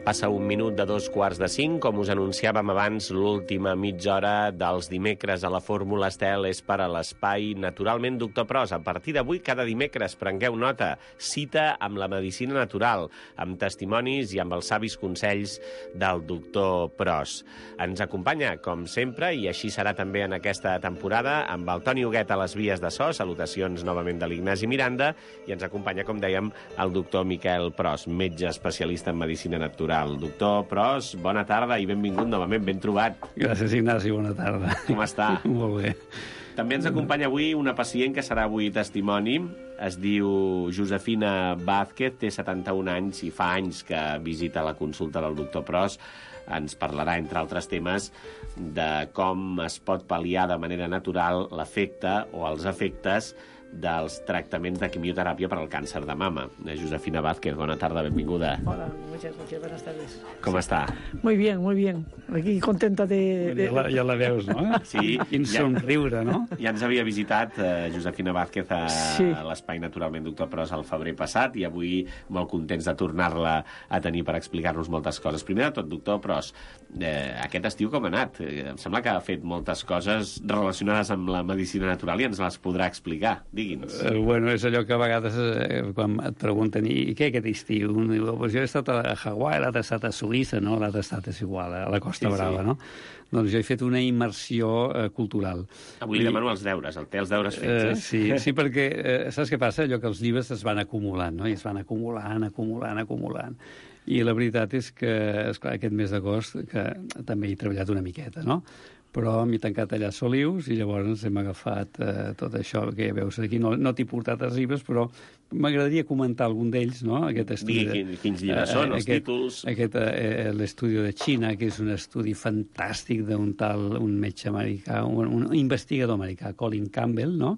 Passa un minut de 4:45, com us anunciàvem abans, l'última mitja hora dels dimecres a la Fórmula Estel és per a l'espai Naturalment Doctor Pros. A partir d'avui, cada dimecres, prengueu nota, cita amb la medicina natural, amb testimonis i amb els savis consells del doctor Pros. Ens acompanya, com sempre, i així serà també en aquesta temporada, amb el Toni Huguet a les vies de so, salutacions novament de l'Ignasi Miranda, i ens acompanya, com dèiem, el doctor Miquel Pros, metge especialista en medicina natural. Doctor Pros, bona tarda i benvingut novament, ben trobat. Gràcies, Ignasi, bona tarda. Com està? Molt bé. També ens acompanya avui una pacient que serà avui testimoni. Es diu Josefina Vázquez, té 71 anys i fa anys que visita la consulta del doctor Pros. Ens parlarà, entre altres temes, de com es pot pal·liar de manera natural l'efecte o els efectes dels tractaments de quimioteràpia per al càncer de mama. Josefina Vázquez, bona tarda, benvinguda. Hola, muchas buenas tardes. Com està? Muy bien, muy bien. Aquí contenta de... Ja la veus, no? Sí. Quin somriure, no? Ja ens havia visitat Josefina Vázquez a l'Espai Naturalment Doctor Pros al febrer passat i avui molt contents de tornar-la a tenir per explicar-nos moltes coses. Primer de tot, doctor Pros, aquest estiu com ha anat? Em sembla que ha fet moltes coses relacionades amb la medicina natural i ens les podrà explicar. Digui'ns. Bueno, és allò que a vegades quan et pregunten i què aquest estiu? Un diu, pues jo he estat a Hawaii, l'altre he estat a Suïssa, no? L'altre he estat és igual, a la Costa Brava, no? Doncs jo he fet una immersió cultural. Avui li demano els deures, té els deures fets. Sí, perquè saps què passa? Allò que els llibres es van acumulant, no? I es van acumulant. I la veritat és que, esclar, aquest mes d'agost, que també he treballat una miqueta, no? Però m'he tancat allà a Solius i llavors hem agafat tot això que ja veus aquí. No t'he portat els llibres, però m'agradaria comentar algun d'ells, no? Aquest estudi. Quins llibres són, els títols? L'estudi de Xina, que és un estudi fantàstic d'un metge americà, un investigador americà, Colin Campbell, no?,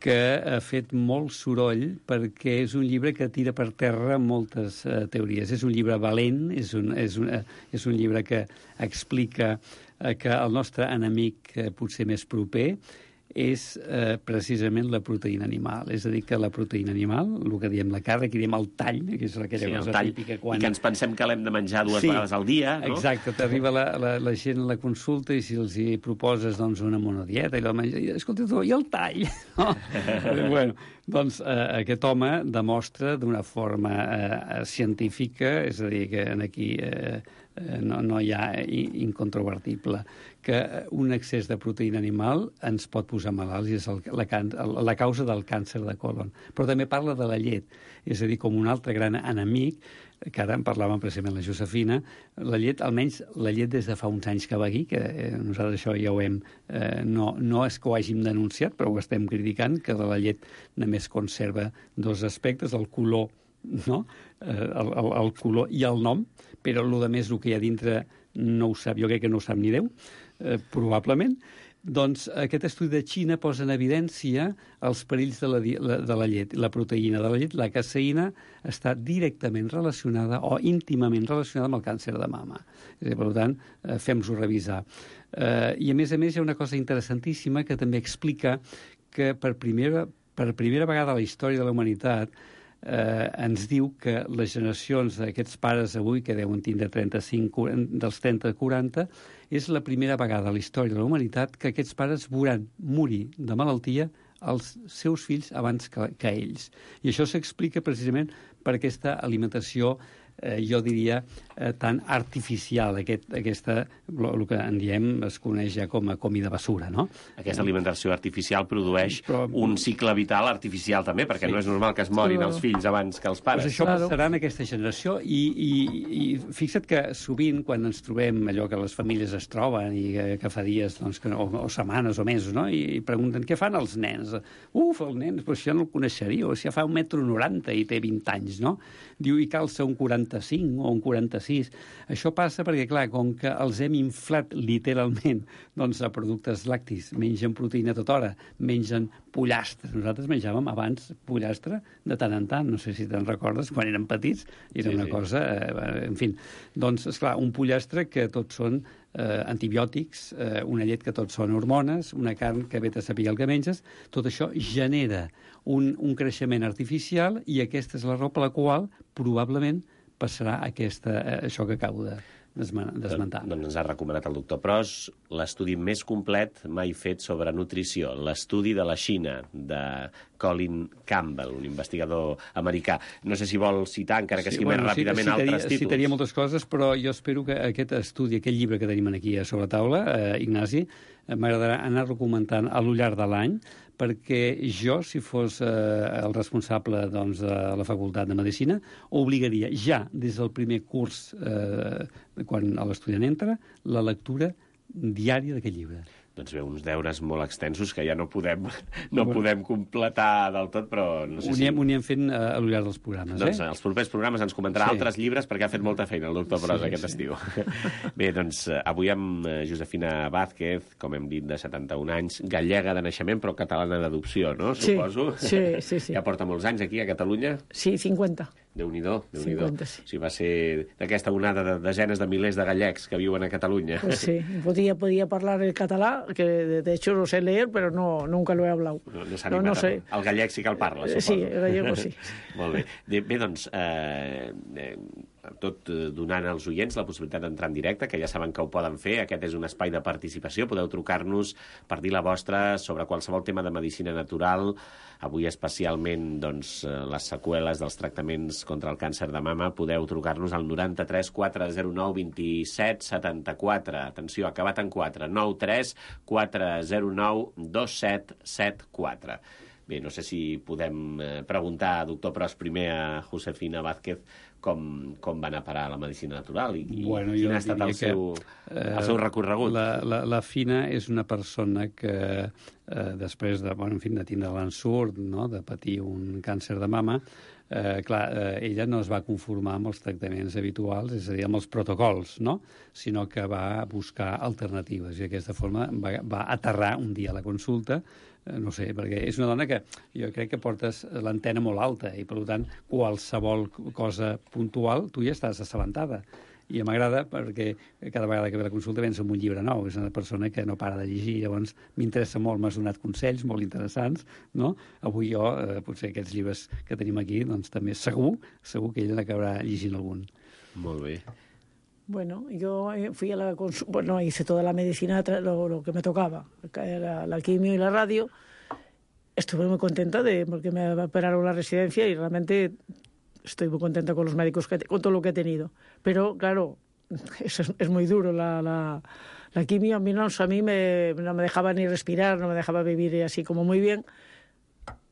que ha fet molt soroll perquè és un llibre que tira per terra moltes teories. És un llibre valent, és un llibre que explica que el nostre enemic potser més proper és precisament la proteïna animal. És a dir, que la proteïna animal, el que diem la carn, que diem el tall, que és aquella cosa típica. I que ens pensem que l'hem de menjar dues vegades al dia, no? Exacte, t'arriba la gent a la consulta i si els hi proposes doncs, una monodieta i la menja, i escolta tu, i el tall? No? Bueno, doncs aquest home demostra d'una forma científica, és a dir, que aquí no hi ha incontrovertible, que un excés de proteïna animal ens pot posar malalts i és la causa del càncer de colon. Però també parla de la llet, és a dir, com un altre gran enemic, que ara en parlàvem precisament la Josefina, la llet, almenys la llet des de fa uns anys que va aquí, que nosaltres això ja ho hem... No és que ho hàgim denunciat, però ho estem criticant, que de la llet només conserva dos aspectes, el color, no? El color i el nom, però el més el que hi ha dintre no ho sap, jo crec que no ho sap ni Déu, probablement. Doncs aquest estudi de Xina posa en evidència els perills de la llet. La proteïna de la llet, la caseïna, està directament relacionada o íntimament relacionada amb el càncer de mama. Per tant, fem-nos-ho revisar. I a més hi ha una cosa interessantíssima que també explica que per primera vegada a la història de la humanitat ens diu que les generacions d'aquests pares avui, que deuen tindre 35, dels 30 a 40, és la primera vegada a la història de la humanitat que aquests pares veuran morir de malaltia els seus fills abans que ells. I això s'explica precisament per aquesta alimentació, jo diria, tan artificial, aquesta, el que en diem, es coneix ja com a comida basura, no? Aquesta alimentació artificial produeix un cicle vital artificial també, perquè no és normal que es morin els fills abans que els pares. Pues això passarà en aquesta generació i fixa't que sovint quan ens trobem allò que les famílies es troben i que fa dies o setmanes o mesos, no? I pregunten què fan els nens. El nen, però si ja no el coneixeria, o si ja fa 1,90 m i té 20 anys, no? Diu, i calça un 45 o un 46. Això passa perquè, clar, com que els hem inflat literalment doncs, a productes lactis, mengen proteïna tota hora, mengen pollastre. Nosaltres menjàvem abans pollastre de tant en tant, no sé si te'n recordes, quan érem petits, era una cosa... en fi, doncs, esclar, un pollastre que tots són antibiòtics, una llet que tots són hormones, una carn que vet a saber el que menges, tot això genera un creixement artificial i aquesta és la raó per la qual probablement passarà això que acabo d'esmentar. Doncs ens ha recomanat el doctor Pros l'estudi més complet mai fet sobre nutrició, l'estudi de la Xina, de Colin Campbell, un investigador americà. No sé si vol citar, encara que sigui més ràpidament, altres títols. Citaria moltes coses, però jo espero que aquest estudi, aquest llibre que tenim aquí sobre la taula, Ignasi, m'agradarà anar-lo comentant a lo llarg de l'any, perquè jo, si fos el responsable de la Facultat de Medicina, obligaria ja des del primer curs, quan l'estudiant entra, la lectura diària d'aquest llibre. Doncs bé, uns deures molt extensos que ja no podem completar del tot, però no sé si... Ho anirem fent a lo llarg dels programes, Doncs els propers programes ens comentarà altres llibres perquè ha fet molta feina el doctor Pros aquest estiu. Bé, doncs avui amb Josefina Vázquez, com hem dit, de 71 anys, gallega de naixement, però catalana d'adopció, no? Suposo. Sí. Ja porta molts anys aquí, a Catalunya? Sí, 50. Déu-n'hi-do. 50, sí. O sigui, va ser d'aquesta onada de desenes de milers de gallecs que viuen a Catalunya. Pues sí, podía hablar el català, que de hecho lo sé leer, pero nunca lo he hablado. No s'ha animat. sé. El gallec sí que el parla, suposo. Sí, el gallego sí. Molt bé. Bé, doncs, tot donant als oients la possibilitat d'entrar en directe, que ja saben que ho poden fer. Aquest és un espai de participació. Podeu trucar-nos per dir la vostra sobre qualsevol tema de medicina natural. Avui especialment les seqüeles dels tractaments contra el càncer de mama. Podeu trucar-nos al 93 409 27 74. Atenció, acabat en 4. 93 409 2774. Bé, no sé si podem preguntar, doctor Pros, primer a Josefina Vázquez com va anar a parar a la medicina natural i quin ha estat el seu recorregut. La Fina és una persona que després de tindre l'ensurt, no?, de patir un càncer de mama, ella no es va conformar amb els tractaments habituals, és a dir, amb els protocols, no?, sinó que va buscar alternatives i d'aquesta forma va aterrar un dia a la consulta. No sé, perquè és una dona que jo crec que portes l'antena molt alta i, per tant, qualsevol cosa puntual tu ja estàs assabentada. I m'agrada perquè cada vegada que ve la consulta vens amb un llibre nou. És una persona que no para de llegir, llavors m'interessa molt, m'has donat consells molt interessants, no? Avui jo, potser aquests llibres que tenim aquí, doncs també segur que ella n'acabarà llegint algun. Molt bé. Bueno, yo fui a la consulta, bueno, hice toda la medicina, lo que me tocaba, la quimio y la radio. Estuve muy contenta porque me operaron la residencia y realmente estoy muy contenta con los médicos, con todo lo que he tenido. Pero, claro, es muy duro. La quimio a mí no me dejaba ni respirar, no me dejaba vivir así como muy bien.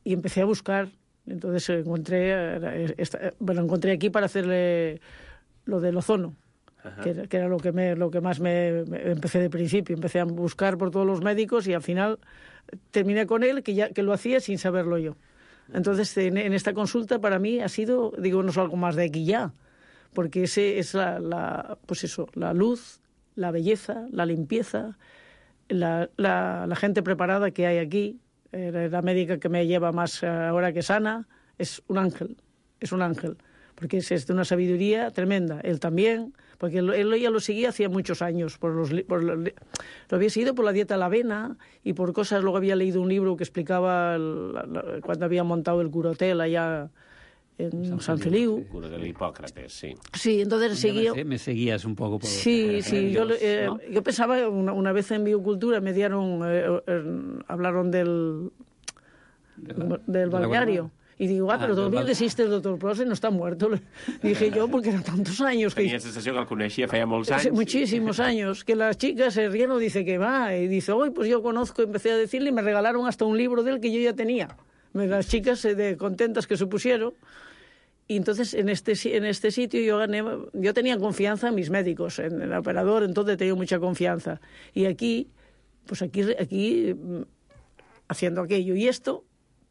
Y empecé a buscar. Entonces encontré aquí para hacerle lo del ozono. Que era lo que más me empecé de principio. Empecé a buscar por todos los médicos y al final terminé con él, que lo hacía sin saberlo yo. Entonces, en esta consulta para mí ha sido, no es algo más de aquí ya, porque ese es la luz, la belleza, la limpieza, la gente preparada que hay aquí. La médica que me lleva más ahora que Sana es un ángel, porque es de una sabiduría tremenda. Él también, porque él ya lo seguía hacía muchos años. Lo había seguido por la dieta a la avena y por cosas. Luego había leído un libro que explicaba cuando había montado el curotel allá en San Feliu. El cura de Hipócrates, sí. Sí, entonces seguía... Me seguías un poco por... Sí. Yo pensaba, una vez en Biocultura me hablaron del balneario. Y digo, pero todavía existe el doctor Pros y no está muerto. Dije yo, porque eran tantos años. Tenía sensación que el conocía feia molts anys. Muchísimos años. Que las chicas se ríen o dice que va. Y dice, pues yo conozco, empecé a decirle y me regalaron hasta un libro de él que yo ya tenía. Las chicas contentas que se pusieron. Y entonces en este sitio yo tenía confianza en mis médicos, en el operador, entonces tenía mucha confianza. Y aquí haciendo aquello y esto,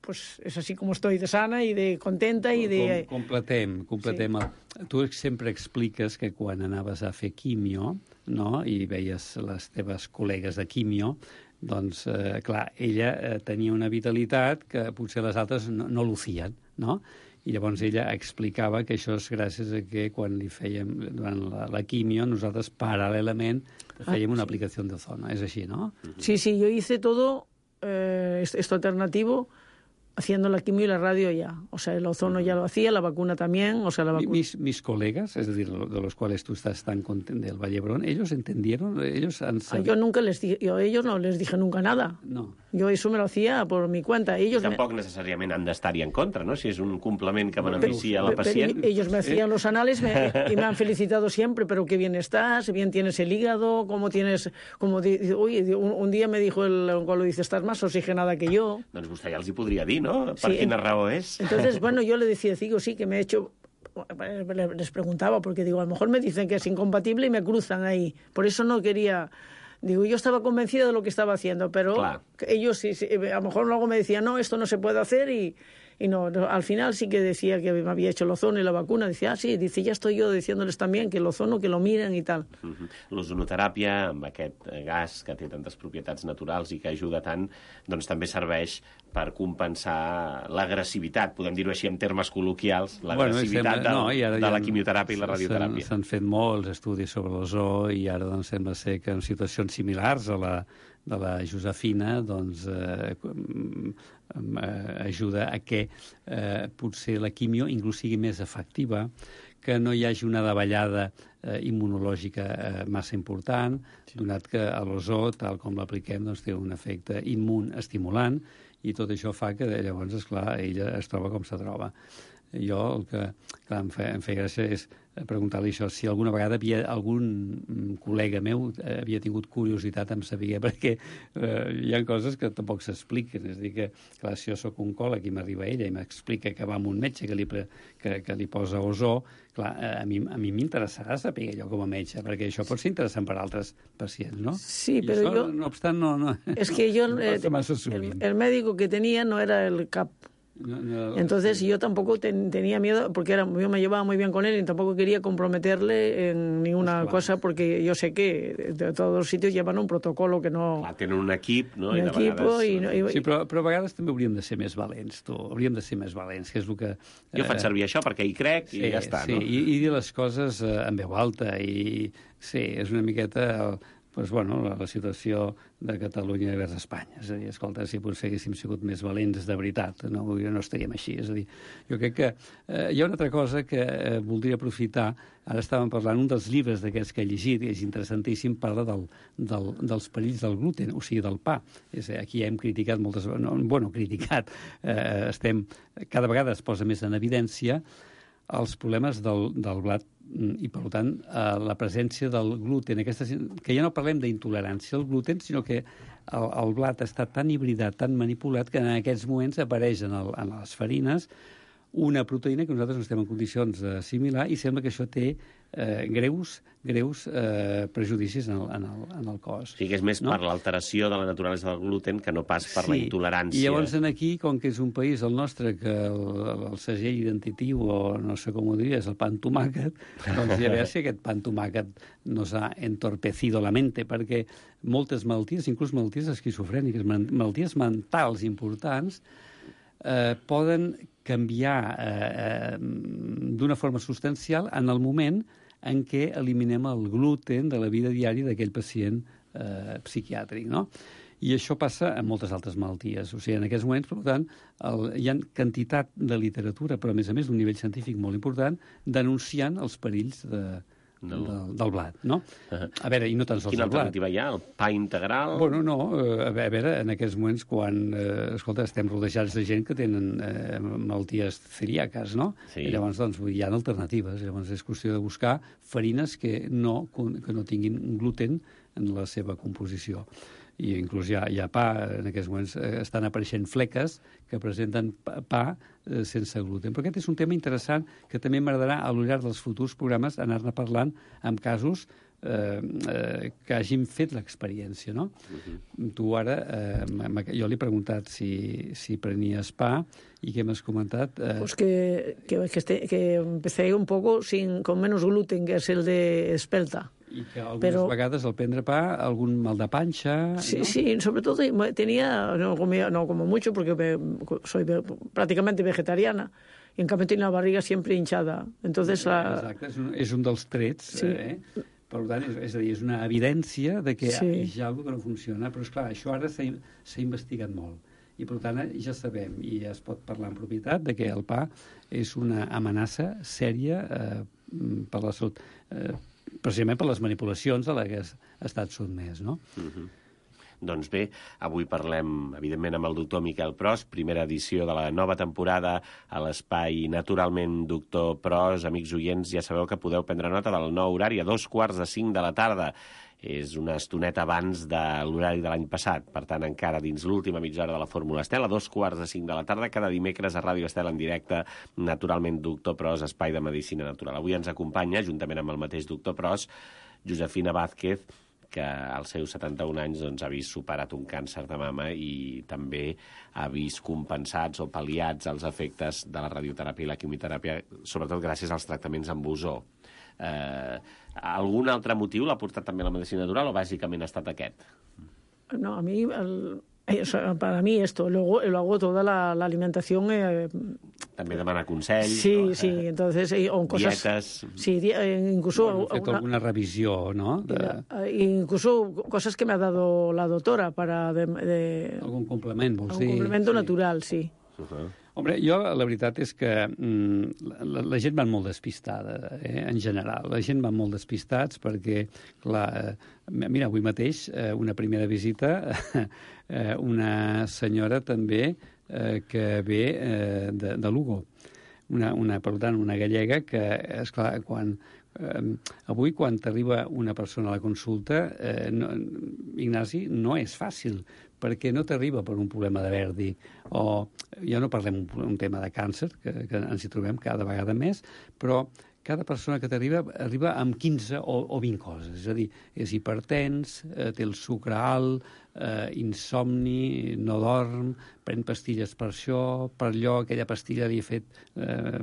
pues és així com estoy, de sana i de contenta i de... Completem. Sí. Tu sempre expliques que quan anaves a fer quimio, no?, i veies les teves col·legues de quimio, doncs, clar, ella tenia una vitalitat que potser les altres no lucien, no? I llavors ella explicava que això és gràcies a que quan li fèiem, durant la quimio, nosaltres paral·lelament fèiem una aplicació d'ozono. És així, no? Sí, yo hice todo esto alternativo haciendo la quimio y la radio ya. O sea, el ozono ya lo hacía, la vacuna también. O sea, la vacuna... Mis colegas, es decir, de los cuales tú estás tan contento del Vallebrón, ¿ellos entendieron? ¿Ellos han sabido? Yo nunca les dije, yo a ellos no les dije nunca nada. No. Jo això me lo hacía por mi cuenta. Ellos tampoc necessàriament han d'estar-hi en contra, no? Si és un complement que beneficia a la pacient. Ellos me hacían los anales y me han felicitado siempre, pero qué bien estás, bien tienes el hígado, cómo tienes... Uy, un día me dijo el oncólogo, dice, estás más oxigenada que yo. Doncs vostè ja els hi podria dir, no? Per quina raó és? Entonces, bueno, yo le decía, digo, sí, que me he hecho... Les preguntaba, porque digo, a lo mejor me dicen que es incompatible y me cruzan ahí. Por eso no quería... Digo, yo estaba convencida de lo que estaba haciendo, pero ellos sí, a lo mejor luego me decían, no, esto no se puede hacer y no, al final sí que decía que me había hecho el ozono y la vacuna. Decía, sí, dice, ya estoy yo diciéndoles también que el ozono, que lo miren y tal. L'ozonoteràpia, amb aquest gas que té tantes propietats naturals i que ajuda tant, doncs també serveix per compensar l'agressivitat, podem dir-ho així en termes col·loquials, l'agressivitat de la quimioteràpia i la radioteràpia. S'han fet molts estudis sobre l'ozó i ara doncs, sembla ser que en situacions similars a la de la Josefina doncs, ajuda a que potser la quimio inclús sigui més efectiva, que no hi hagi una davallada immunològica massa important, donat que l'ozó, tal com l'apliquem, doncs, té un efecte immun-estimulant i tot això fa que llavors, esclar, ella es troba com se troba. Jo el que clar, em feia gràcia és preguntar-li això, si alguna vegada algun col·lega meu havia tingut curiositat en saber, perquè hi ha coses que tampoc s'expliquen. És a dir, que clar, si jo soc oncòleg i m'arriba ella i m'explica que va amb un metge que li posa ozó, clar, a mi m'interessarà saber allò com a metge, perquè això pot ser interessant per a altres pacients, ¿no? Sí, I però això, no obstant, no es que yo, el médico que tenía no era el CAP. Entonces yo tampoco tenía miedo, porque yo me llevaba muy bien con él y tampoco quería comprometerle en ninguna cosa, porque yo sé que de todos los sitios llevan un protocolo que no... Clar, tenen un equip, no? Un equipo Sí, però a vegades també hauríem de ser més valents, tu. Hauríem de ser més valents, que és el que... Jo faig servir això perquè hi crec i ja està, no? Sí, i dir les coses en veu alta i... Sí, és una miqueta... Pues, bueno, la situació de Catalunya vers Espanya. És a dir, escolta, si potser haguéssim sigut més valents de veritat, no estaríem així. És a dir, jo crec que hi ha una altra cosa que voldria aprofitar. Ara estàvem parlant, un dels llibres d'aquests que he llegit, és interessantíssim, parla dels perills del gluten, o sigui, del pa. Aquí hem criticat moltes... criticat. Cada vegada es posa més en evidència els problemes del blat i, per tant, la presència del gluten, que ja no parlem d'intolerància al gluten, sinó que el blat està tan hibridat, tan manipulat, que en aquests moments apareix en les farines una proteïna que nosaltres no estem en condicions d'assimilar i sembla que això té greus prejudicis en el cos. O sigui que és més per l'alteració de la naturalesa del gluten que no pas per la intolerància. I llavors aquí, com que és un país, el nostre, que el segell identitiu, o no sé com ho diria, és el pa amb tomàquet, doncs ja veure si aquest pa amb tomàquet nos ha entorpecido la mente, perquè moltes malalties, inclús malalties esquizofrèniques, malalties mentals importants, poden canviar d'una forma substancial en el moment en què eliminem el gluten de la vida diària d'aquell pacient psiquiàtric, no? I això passa en moltes altres malalties. O sigui, en aquests moments, per tant, hi ha quantitat de literatura, però a més d'un nivell científic molt important, denunciant els perills del blat, no? A veure, i no tan sols el blat. Quina alternativa hi ha? El pa integral? Bueno, no, a veure, en aquests moments quan, escolta, estem rodejats de gent que tenen malalties celíaques, no? Sí. I llavors, doncs, hi ha alternatives. Llavors és qüestió de buscar farines que no tinguin gluten en la seva composició. I inclús hi ha pa, en aquests moments estan apareixent fleques que presenten pa sense gluten. Però aquest és un tema interessant que també m'agradarà a lo llarg dels futurs programes anar-ne parlant amb casos que hagin fet l'experiència, no? Tu ara, jo li he preguntat si prenies pa i què m'has comentat? Pues que empecé un poco con menos gluten, que es el de espelta. I que algunes vegades al prendre pa, algun mal de panxa... Sí, ¿no? Sí, sobre todo tenía, no como mucho, porque soy prácticamente vegetariana, y en cambio tenía la barriga siempre hinchada. Entonces, exacte, és un dels trets, sí. Per tant, és a dir, és una evidència de que sí. hi ha alguna cosa que no funciona, però esclar, això ara s'ha investigat molt. I, per tant, ja sabem, i es pot parlar en propietat, de que el pa és una amenaça sèria per la salut, precisament per les manipulacions a les que ha estat sotmès, no? Doncs bé, avui parlem, evidentment, amb el doctor Miquel Pros, primera edició de la nova temporada a l'espai Naturalment Doctor Pros. Amics oients, ja sabeu que podeu prendre nota del nou horari a 2:45 de la tarda. És una estoneta abans de l'horari de l'any passat. Per tant, encara dins l'última mitja hora de la Fórmula Estel, a 2:45 de la tarda, cada dimecres a Ràdio Estel en directe, Naturalment Doctor Pros, espai de medicina natural. Avui ens acompanya, juntament amb el mateix doctor Pros, Josefina Vázquez, que als seus 71 anys doncs, ha vist superat un càncer de mama i també ha vist compensats o pal·liats els efectes de la radioteràpia i la quimioteràpia, sobretot gràcies als tractaments amb ozó. Algun altre motiu l'ha portat també a la medicina natural o bàsicament ha estat aquest? No, a mí... para mí esto, luego toda la alimentación... També demana consell. Sí, no? sí, entonces... cosas, dietes... Sí, incluso... Bueno, fet alguna revisió, no? Incluso cosas que me ha dado la doctora para... Algun complement, vols dir? Un complemento natural, sí. Hombre, jo la veritat és que la gent va molt despistada, en general. La gent va molt despistats perquè, clar, mira, avui mateix, una primera visita, una senyora també que ve de Lugo. Per tant, una gallega que, esclar, avui, quan t'arriba una persona a la consulta, Ignasi, no és fàcil, perquè no t'arriba per un problema de Verdi, o ja no parlem un tema de càncer, que ens hi trobem cada vegada més, però cada persona que t'arriba arriba amb 15 o 20 coses. És a dir, és hipertens, té el sucre alt, insomni, no dorm, pren pastilles per això, per allò, aquella pastilla li ha fet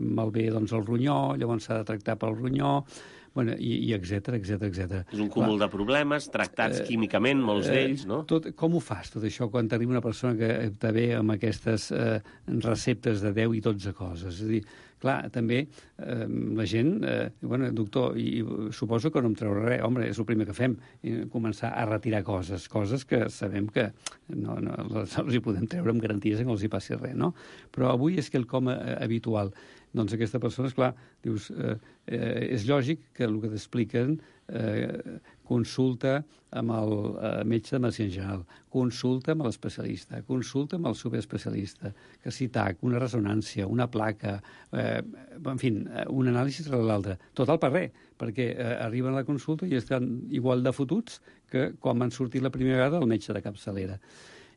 malbé doncs, el ronyó, llavors s'ha de tractar pel ronyó, bueno, i etcètera. És un cúmul de problemes, tractats químicament, molts d'ells, no? Com ho fas, tot això, quan t'arriba una persona que te ve amb aquestes receptes de 10 i 12 coses? És a dir, clar, també la gent... bueno, doctor, i suposo que no em traurà res. Home, és el primer que fem, començar a retirar coses que sabem que no els hi podem treure amb garanties que no els hi passi res, no? Però avui és quelcom habitual. Doncs aquesta persona, esclar, dius, és lògic que el que t'expliquen consulta amb el metge de medicina general, consulta amb l'especialista, consulta amb el superespecialista, que si TAC, una ressonància, una placa, en fi, un anàlisi rere l'altre. Tot al per res, perquè arriben a la consulta i estan igual de fotuts que quan van sortir la primera vegada al metge de capçalera.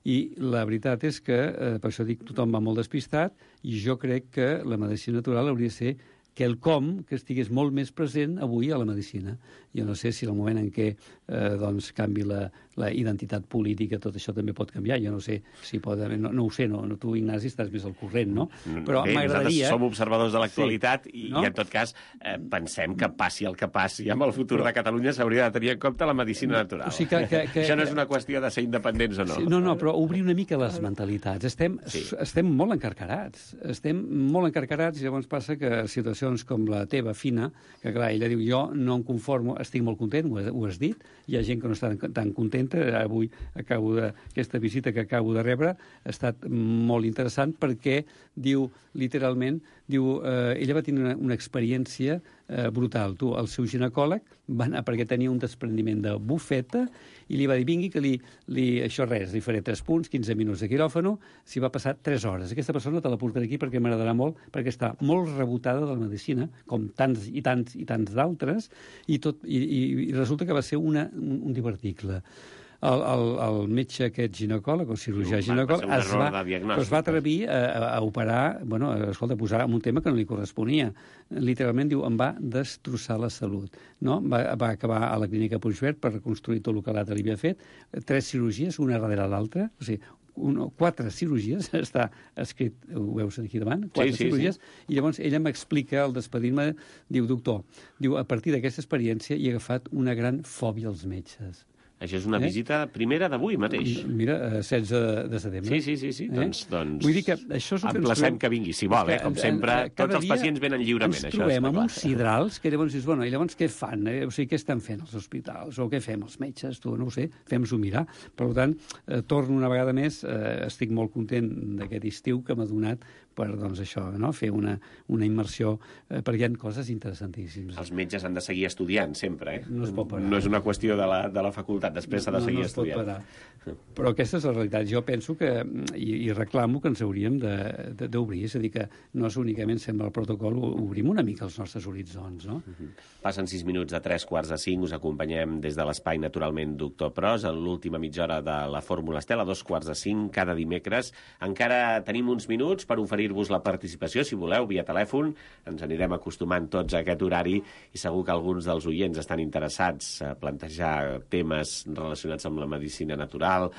I la veritat és que, per això dic, tothom va molt despistat, i jo crec que la medicina natural hauria de ser quelcom que estigués molt més present avui a la medicina. Jo no sé si en el moment en què doncs, canvi la identitat política, tot això també pot canviar. Jo no sé si pot haver... No ho sé, tu, Ignasi, estàs més al corrent, no? Però m'agradaria... Nosaltres som observadors de l'actualitat i en tot cas pensem que passi el que passi amb el futur de Catalunya s'hauria de tenir en compte la medicina natural. O sigui que... Això no és una qüestió de ser independents o no. No, però obrir una mica les mentalitats. Estem molt encarcarats. Estem molt encarcarats i llavors passa que situacions com la teva, Fina, que clar, ella diu, jo no em conformo, estic molt content, ho has dit, hi ha gent que no està tan contenta, avui aquesta visita que acabo de rebre ha estat molt interessant perquè diu, literalment, ella va tenir una experiència brutal. El seu ginecòleg va anar perquè tenia un desprendiment de bufeta i li va dir, vingui, que això res, li faré 3 punts, 15 minuts de quiròfano, s'hi va passar 3 hores. Aquesta persona te la portaré aquí perquè m'agradarà molt, perquè està molt rebotada de la medicina, com tants i tants d'altres, i resulta que va ser un diverticle. El metge aquest ginecòleg, o cirurgià ginecòleg, es va atrevir a operar, a posar en un tema que no li corresponia. Literalment, diu, em va destrossar la salut. No? Va acabar a la clínica Puigverd per reconstruir tot el que l'altre li havia fet, 3 cirurgies, una darrere l'altra, o sigui, 4 cirurgies, està escrit, ho veus aquí davant, 4 cirurgies, i llavors ella m'explica, al despedir-me, diu, doctor, a partir d'aquesta experiència he agafat una gran fòbia als metges. Això és una visita primera d'avui mateix. Mira, 16 de setembre. Sí. Doncs vull dir que això és el que emplacem que vingui, si vol, com sempre. Tots els pacients venen lliurement. Ens trobem amb uns sidrals que llavors dius, bueno, i llavors què fan? O sigui, què estan fent els hospitals? O què fem els metges? Tu, no ho sé, fem-s'ho mirar. Per tant, torno una vegada més, estic molt content d'aquest estiu que m'ha donat per, doncs, això, no? Fer una immersió, perquè hi ha coses interessantíssimes. Els metges han de seguir estudiant, sempre, No es pot parar. No és una qüestió de la facultat, després s'ha de seguir estudiant. Però aquesta és la realitat. Jo penso que, i reclamo que ens hauríem d'obrir, és a dir, que no és únicament sembla el protocol, obrim una mica els nostres horitzons, no? Passen 6 minuts de 3:45, us acompanyem des de l'espai, naturalment, Doctor Pros, en l'última mitja hora de la Fórmula Estel, a 2:45, cada dimecres. Encara tenim uns minuts per oferir-vos la participació, si voleu, via telèfon. Ens anirem acostumant tots a aquest horari i segur que alguns dels oients estan interessats a plantejar temes relacionats amb la medicina natural,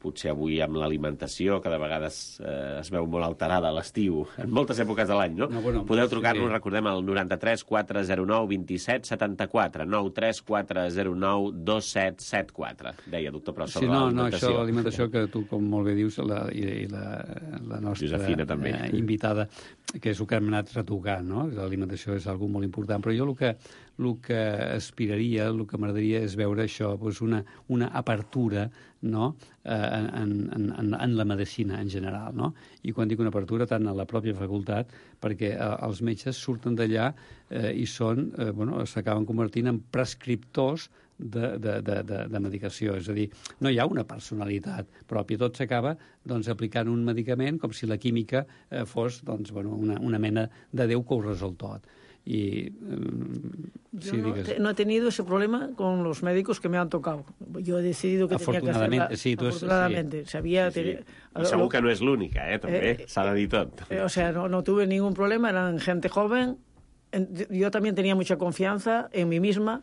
potser avui amb l'alimentació, que de vegades es veu molt alterada a l'estiu, en moltes èpoques de l'any, no? Podeu trucar-nos, recordem, al 93 409 27 74, 93 409 2774. Deia, doctor Pros, sobre l'alimentació. Això, l'alimentació, que tu, com molt bé dius, i la nostra Josefina, també, invitada, que és el que hem anat retocant, no? L'alimentació és una cosa molt important, però jo el que aspiraria, el que m'agradaria és veure això, doncs una apertura, no?, en la medicina en general, no? I quan dic una apertura, tant a la pròpia facultat, perquè els metges surten d'allà i s'acaben convertint en prescriptors de medicació. És a dir, no hi ha una personalitat pròpia, tot s'acaba aplicant un medicament com si la química fos una mena de Déu que ho resol tot. Y yo no he tenido ese problema con los médicos que me han tocado. Yo he decidido que tenía que hacerla. Afortunadamente. Sabía. I segur que no és l'única, també, s'ha de dir tot. O sea, no tuve ningún problema, eran gente joven. Yo también tenía mucha confianza en mí misma,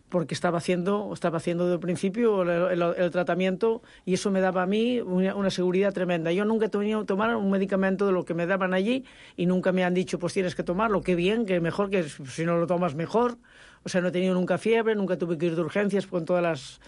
porque estaba haciendo desde el principio el tratamiento, y eso me daba a mí una seguridad tremenda. Yo nunca he tenido que tomar un medicamento de lo que me daban allí, y nunca me han dicho, pues tienes que tomarlo, qué bien, que mejor, que si no lo tomas mejor. O sea, no he tenido nunca fiebre, nunca tuve que ir de urgencias con todas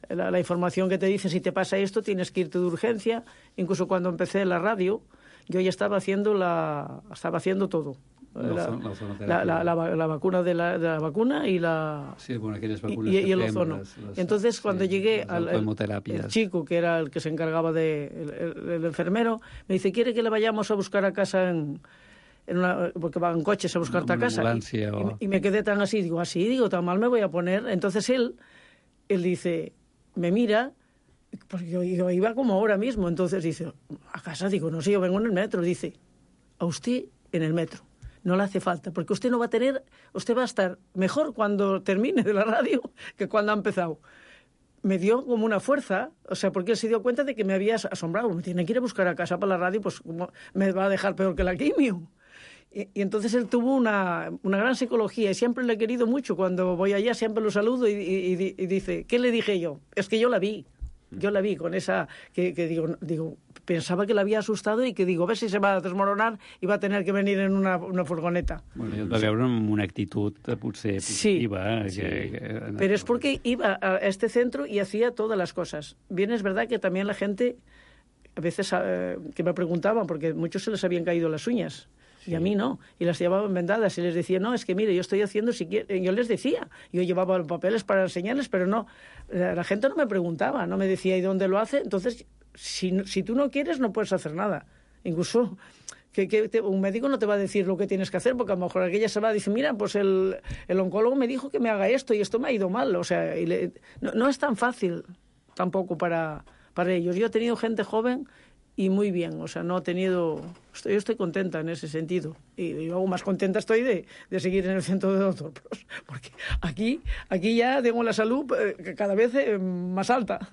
la información que te dice, si te pasa esto, tienes que irte de urgencia. Incluso cuando empecé la radio, yo ya estaba haciendo todo. La vacuna de la vacuna y la... Sí, bueno, aquellas vacunas y el ozono. Entonces, cuando llegué el chico, que era el que se encargaba el enfermero, me dice, ¿quiere que le vayamos a buscar a casa porque van coches a buscarte a casa? Y me quedé tan así, digo, tan mal me voy a poner. Entonces él dice, me mira, porque yo iba como ahora mismo, entonces dice, ¿a casa? Digo, no sé, yo vengo en el metro. Dice, a usted en el metro no le hace falta, porque usted va a estar mejor cuando termine de la radio que cuando ha empezado. Me dio como una fuerza, o sea, porque él se dio cuenta de que me había asombrado. Me tiene que ir a buscar a casa para la radio, pues me va a dejar peor que la quimio. Y entonces él tuvo una gran psicología, y siempre le he querido mucho. Cuando voy allá siempre lo saludo y dice, ¿qué le dije yo? Es que yo la vi con esa, que digo, pensaba que la había asustado y que digo, a ver si se va a desmoronar y va a tener que venir en una furgoneta. Bueno, jo et va veure amb una actitud potser positiva. Sí. Pero es porque iba a este centro y hacía todas las cosas. Bien, es verdad que también la gente, a veces que me preguntaban, porque muchos se les habían caído las uñas. Y a mí no, y las llevaban vendadas, y les decía, no, es que mire, yo estoy haciendo, yo les decía, yo llevaba papeles para enseñarles, pero no, la gente no me preguntaba, no me decía, ¿y dónde lo hace? Entonces, si tú no quieres, no puedes hacer nada. Incluso un médico no te va a decir lo que tienes que hacer, porque a lo mejor aquella se va a decir, mira, pues el oncólogo me dijo que me haga esto, y esto me ha ido mal. O sea, no es tan fácil tampoco para ellos. Yo he tenido gente joven y muy bien, o sea, no he tenido... Yo estoy contenta en ese sentido. Y aún más contenta estoy de seguir en el centro de Doctor Pros, porque aquí ja tengo la salut cada vez més alta.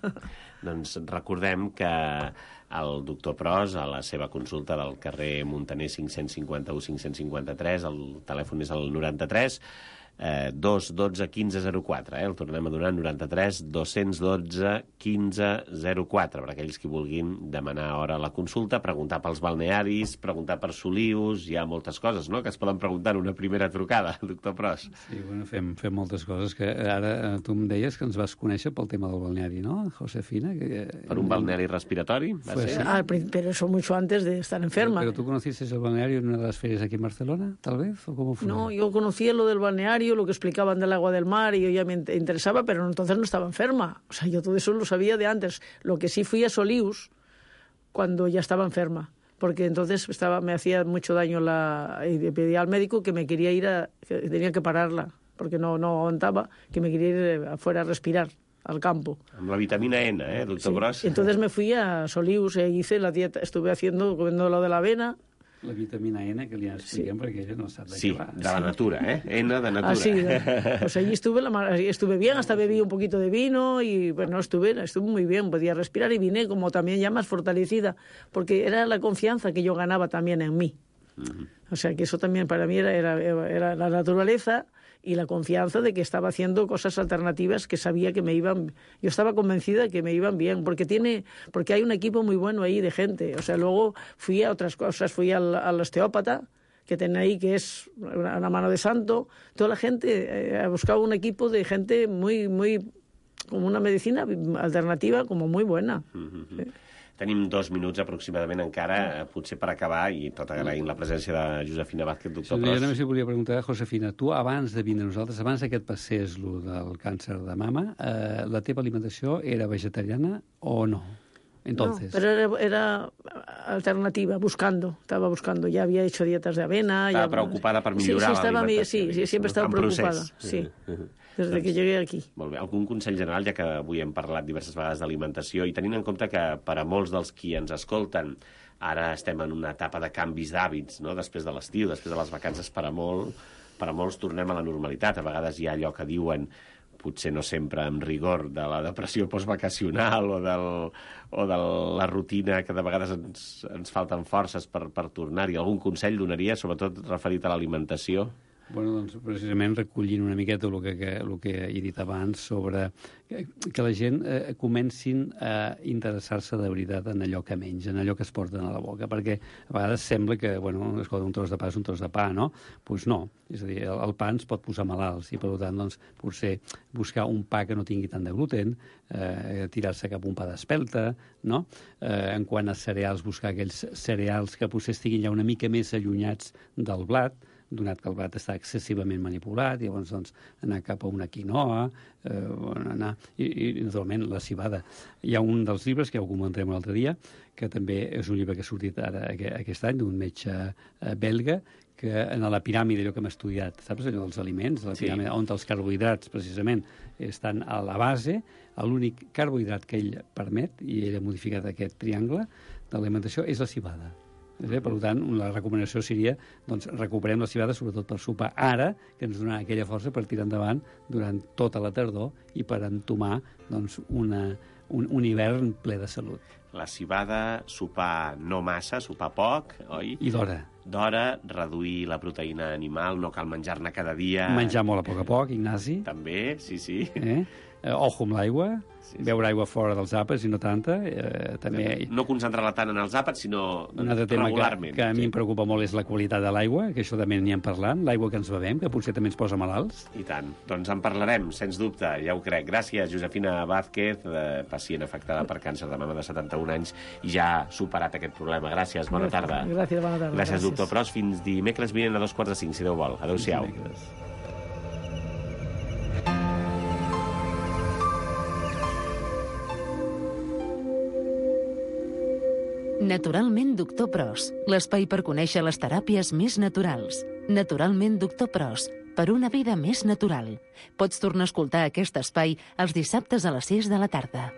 Doncs recordem que el Doctor Pros, a la seva consulta del carrer Muntaner 551-553, el telèfon és el 93 212 1504, el tornem a donar, 93 212 1504, per aquells que vulguin demanar hora a la consulta, preguntar pels balnearis, preguntar per Solius, hi ha moltes coses, no?, que es poden preguntar en una primera trucada, doctor Pros. Sí, bueno, fem moltes coses, que ara tu em deies que ens vas conèixer pel tema del balneari, ¿no, Josefina? Per un balneari respiratori, va ser? Pero eso mucho antes de estar enferma. ¿Pero tú conociste el balneario en una de las ferias aquí en Barcelona, tal vez? ¿O cómo fue? No, yo conocía lo del balneario, lo que explicaban del agua del mar, y yo ya me interesaba, pero entonces no estaba enferma. O sea, yo todo eso lo sabía de antes. Lo que sí fui a Solius cuando ya estaba enferma, porque entonces me hacía mucho daño y le pedí al médico que me quería que tenía que pararla, porque no aguantaba, que me quería ir afuera a respirar, al campo. Amb la vitamina N, doctor Pros? Sí. Entonces me fui a Solius e hice la dieta, estuve comiendo lo de la avena. La vitamina N, que li expliquem, perquè ella no sap de què va. Sí, de la natura, N de natura. Sí, pues allí estuve bien, hasta bebí un poquito de vino y bueno, estuve muy bien, podía respirar y vine como también ya más fortalecida, porque era la confianza que yo ganaba también en mí. O sea, que eso también para mí era la naturaleza y la confianza de que estaba haciendo cosas alternativas que sabía que me iban... Yo estaba convencida de que me iban bien, porque hay un equipo muy bueno ahí de gente. O sea, luego fui a otras cosas, fui al osteópata, que tiene ahí, que es una mano de santo. Toda la gente ha buscado un equipo de gente muy, como una medicina alternativa, como muy buena. Sí. Tenim 2 minuts aproximadament encara, potser per acabar, i tot agraint la presència de Josefina Vázquez, doctor Pros. Jo només li volia preguntar, Josefina, tu abans de vindre a nosaltres, abans que et passés lo del càncer de mama, la teva alimentació era vegetariana o no? Entonces... No, pero era alternativa, estaba buscando. Ya había hecho dietas de avena. Estaba preocupada per millorar l'alimentació. Sí, siempre estaba preocupada. Sí. Des que llegué aquí. Molt bé. Algun consell general, ja que avui hem parlat diverses vegades d'alimentació, i tenint en compte que per a molts dels qui ens escolten ara estem en una etapa de canvis d'hàbits, no?, després de l'estiu, després de les vacances, per a molts tornem a la normalitat. A vegades hi ha allò que diuen, potser no sempre amb rigor, de la depressió postvacacional o de la rutina, que de vegades ens falten forces per tornar-hi. Algun consell donaria, sobretot referit a l'alimentació? Bueno, doncs, precisament recollint una miqueta el que he dit abans sobre que la gent comencin a interessar-se de veritat en allò que mengen, en allò que es porten a la boca, perquè a vegades sembla que, bueno, escolta, un tros de pa és un tros de pa, no? Doncs no, és a dir, el pa ens pot posar malalts i, per tant, doncs, potser buscar un pa que no tingui tant de gluten, tirar-se cap a un pa d'espelta, no? En quant a cereals, buscar aquells cereals que potser estiguin ja una mica més allunyats del blat, donat que el blat està excessivament manipulat, i llavors doncs, anar cap a una quinoa, i naturalment la civada. Hi ha un dels llibres, que ja ho comentarem l'altre dia, que també és un llibre que ha sortit ara aquest any, d'un metge belga, que en la piràmide, allò que hem estudiat, saps, allò dels aliments, la piràmide, on els carbohidrats precisament estan a la base, l'únic carbohidrat que ell permet, i ell ha modificat aquest triangle de l'alimentació, és la civada. Per tant, la recomanació seria doncs, recuperem la civada, sobretot per sopar ara, que ens donarà aquella força per tirar endavant durant tota la tardor i per entomar doncs, un hivern ple de salut. La civada, sopar no massa, sopar poc, oi? I d'hora. D'hora, reduir la proteïna animal, no cal menjar-ne cada dia. Menjar molt a poc, Ignasi. També, sí. Ojo amb l'aigua, beure aigua fora dels àpats i no tanta. També... No concentrar-la tant en els àpats, sinó un altre tema regularment. Que a mi em preocupa molt és la qualitat de l'aigua, que això també n'hi hem parlat, l'aigua que ens bevem, que potser també ens posa malalts. I tant. Doncs en parlarem, sens dubte, ja ho crec. Gràcies, Josefina Vázquez, pacient afectada per càncer de mama de 71 anys, i ja ha superat aquest problema. Gràcies, bona tarda. Gràcies, bona tarda. Gràcies, doctor Pros. Fins dimecres vinent a 4:45, si Déu vol. Adéu-siau. Naturalment Doctor Pros, l'espai per conèixer les teràpies més naturals. Naturalment Doctor Pros, per una vida més natural. Pots tornar a escoltar aquest espai els dissabtes a les 6 de la tarda.